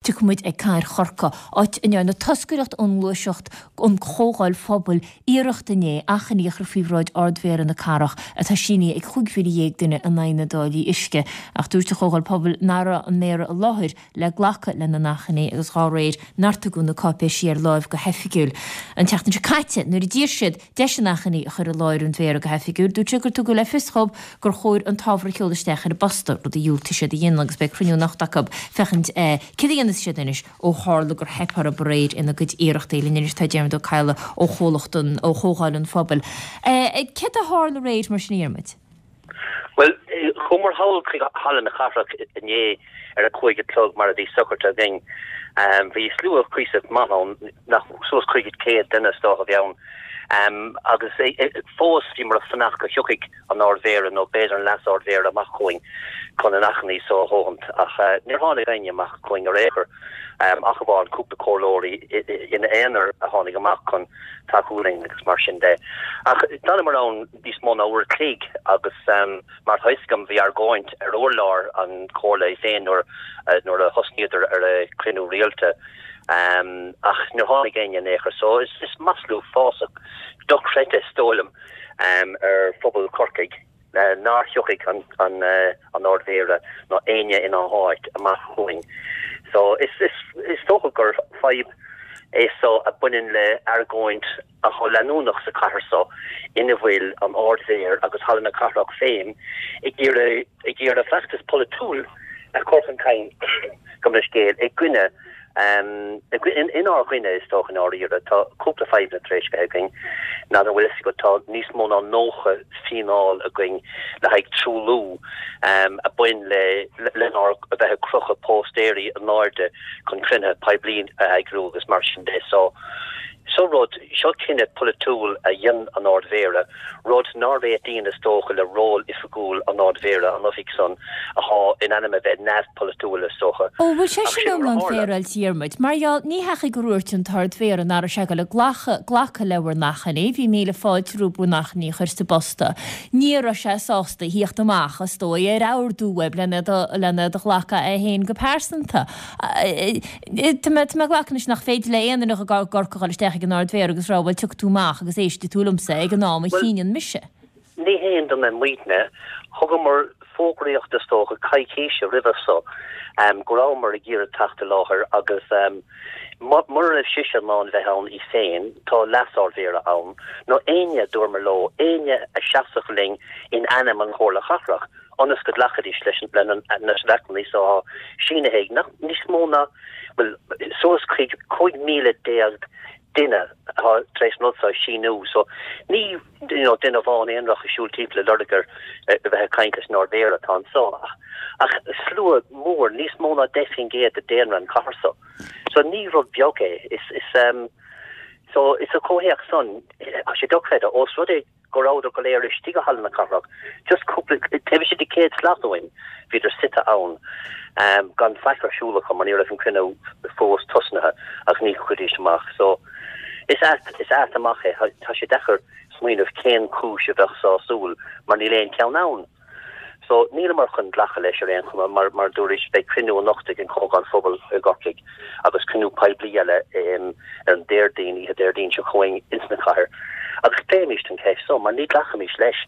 Tiocfaidh muid ag Cathair Chorcaí, áit a ndearna toscaireacht ón ngluaiseacht an Chomhdháil Phobail iarracht inné achainí a chur faoi bhráid Ard-Mhéara na cathrach atá sínithe ag 15,000 duine in aghaidh na dtáillí uisce. Ach dúirt an Chomhdháil Pobail nach raibh an Méara i láthair le glacadh lena n-achainí agus dhá réir nár tugadh na cáipéisí ar láimh go hoifigiúil an tseachtain seo caite nuair a d'iarr siad deis an achainí a chur i láthair an Mhéara go hoifigiúil. Dúirt sé gur tugadh le fios dhóibh gur chóir an t-ábhar a sheoladh isteach ar an bposta, rud a dhiúltaigh siad a dhéanamh agus beidh cruinniú anocht acu féachaint céard a dhéanfas siad anois ó tharla gur theip orthu aréir ina gcuid iarrachtaí. Linn anois tá Diarmuid Ó Cadhla ó chomhlacht an, ó Chomhdháil an Phobail. Céard a tharla aréir mar sin a Dhiarmuid? Bhuel, chuamar thall chuig Halla na Cathrach inné ar a 5 a chlog mar a bhí socraithe againn. Bhí slua cuíosach maith ann, nach, suas chuig 100 duine is dócha a bhí ann. Agus fós bhíomar ag fanacht go thiocfaidh an Ard-Mhéara nó b'fhéidir an Leas-Ard-Mhéara amach chugainn chun an achainí so a thógaint ach níor tháinig éinne amach chugainn ar aon chor ach amháin cúpla comhairleoirí ina aonar a tháinig amach chun tacú linn agus mar sin de. Ach d'fhanamar ann níos mó ná uair a chloig agus mar atá fhios agam bhí argóint ar urlár an chomhairle í féin nuair nuair a thosnaíodar ar a cruinniú rialta ach níor tháinig éinne in aon chor so is maslú uafásach dochreidte is dóigh liom ar phobal Chorcaigh nár thiocfaidh an Ard-Mhéara ná éinne ina háit amach chugainn. So is dócha gur fadhb é so a baineann le argóint atá leanúnach sa chathair so ina bhfuil an Ard-Mhéara agus Halla na Cathrach féin ag iarraidh ag iarraidh feachtas polaitiúil a chur chun cinn, gabh mo leithscéal, i gcoinne Inár gcoinne, is dócha, i ndáiríre. Tá cúpla fadhbanna tar éis bheith againn. N'fheadar an bhfuil fhios agat, tá níos mó ná 90 fíneáil againn le haghaidh truailliú a bhain le lenár a bheith ag crochadh póstaeirí in airde chun cruinnithe poiblí a eagrú agus mar sin de. So, seo rud, seo cinneadh polaitiúil a dhein an Ard-Mhéara. rud nár réitíonn is dócha le ról oifigiúil an Ard-Mhéara, an oifig san athá in ainm a bheith neamhpholaitiúil is dócha. Ó, bhfuil sé sin iomlán féaráilte, a Dhiarmuid? Mar gheall, ní hea gur dhúirt an tArd-Mhéara nach raibh sé ag dul ag glacadh, glacadh le bhur n-achainí, bhí míle fáilte roimh bhur n-achainí a chur sa bposta. Ní raibh sé sásta a thíocht amach, is dóigh, ar ordú uaibh len iad a ghlacadh é féin go pearsanta. Tá mé ag glacadh anois nach féidir le aon duine i gCorcaigh dul isteach ag an Ard-Mhéara agus rá bhuel tiocfaidh tú amach agus éistfidh tú liomsa ag an am a chinneann mise. Ní haon duine muidne. Thugamar fógraíocht is dócha coicíse roimhe so go rabhamar ag iarraidh teacht i láthair agus mura raibh sise in ann bheith ann í féin, tá Leas-Ard-Mhéara ann, nó éinne, dúramar leo, éinne a seasfadh linn in ainm an Chomhairle Chathrach. ionas go nglacfaidís leis an achainí so atá sínithe ag nach níos mó ná, bhuel, suas chuig 15,000 duine atá tar éis an rud seo a síniú. So ní you know duine amháin aonarach ag siúl timpeall ag lorg ar a bheith ag caint leis an Ard-Mhéara atá anso ach ach slua mór, níos mó ná 10% de daonra an chathair so. So ní rud beag é. Is is um so is sa chomhthéacs san, tá sé dochreidte, ós rud é go rabhadar go léir istigh i Halla na Cathrach, just cúpla, taobh istigh de 100 slat uainn, bhíodar suite ann, gan faic ar siúl acu mar ní raibh an cruinniú fós tosnaithe agus ní thiocfaidís amach. So, is ait, is ait amach é, tá sé deacair smaoineamh cén chúis a bheadh sásúil mar níl aon cheann ann. So, níleamar chun glacadh leis ar aon chuma, mar, mar a dúrais, beidh cruinniú anocht ag an Chomhdháil Phobail i gCorcaigh agus cruinniú poiblí eile ar an Déardaoin, oíche Déardaoin seo chugainn ins na cathair agus pléimíst an cheist so, mar ní ghlacfaimís leis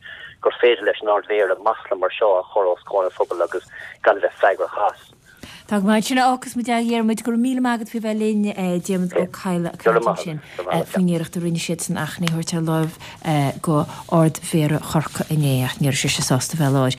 gur féidir leis an Ard-Mhéara masla mar seo a chur os comhair an phobail agus gan a bheith freagrach as. Tá go maith. Sin a fhágfas muid é, a Dhiarmuid. Go raibh míle maith agat faoi bheith linn, Diarmuid Ó Cadhla ag caint ansin faoin iarracht a rinne siad san achainí a thabhairt ar láimh go Ard-Mhéara Chorcaí inné ach ní raibh sise sásta bheith i láthair.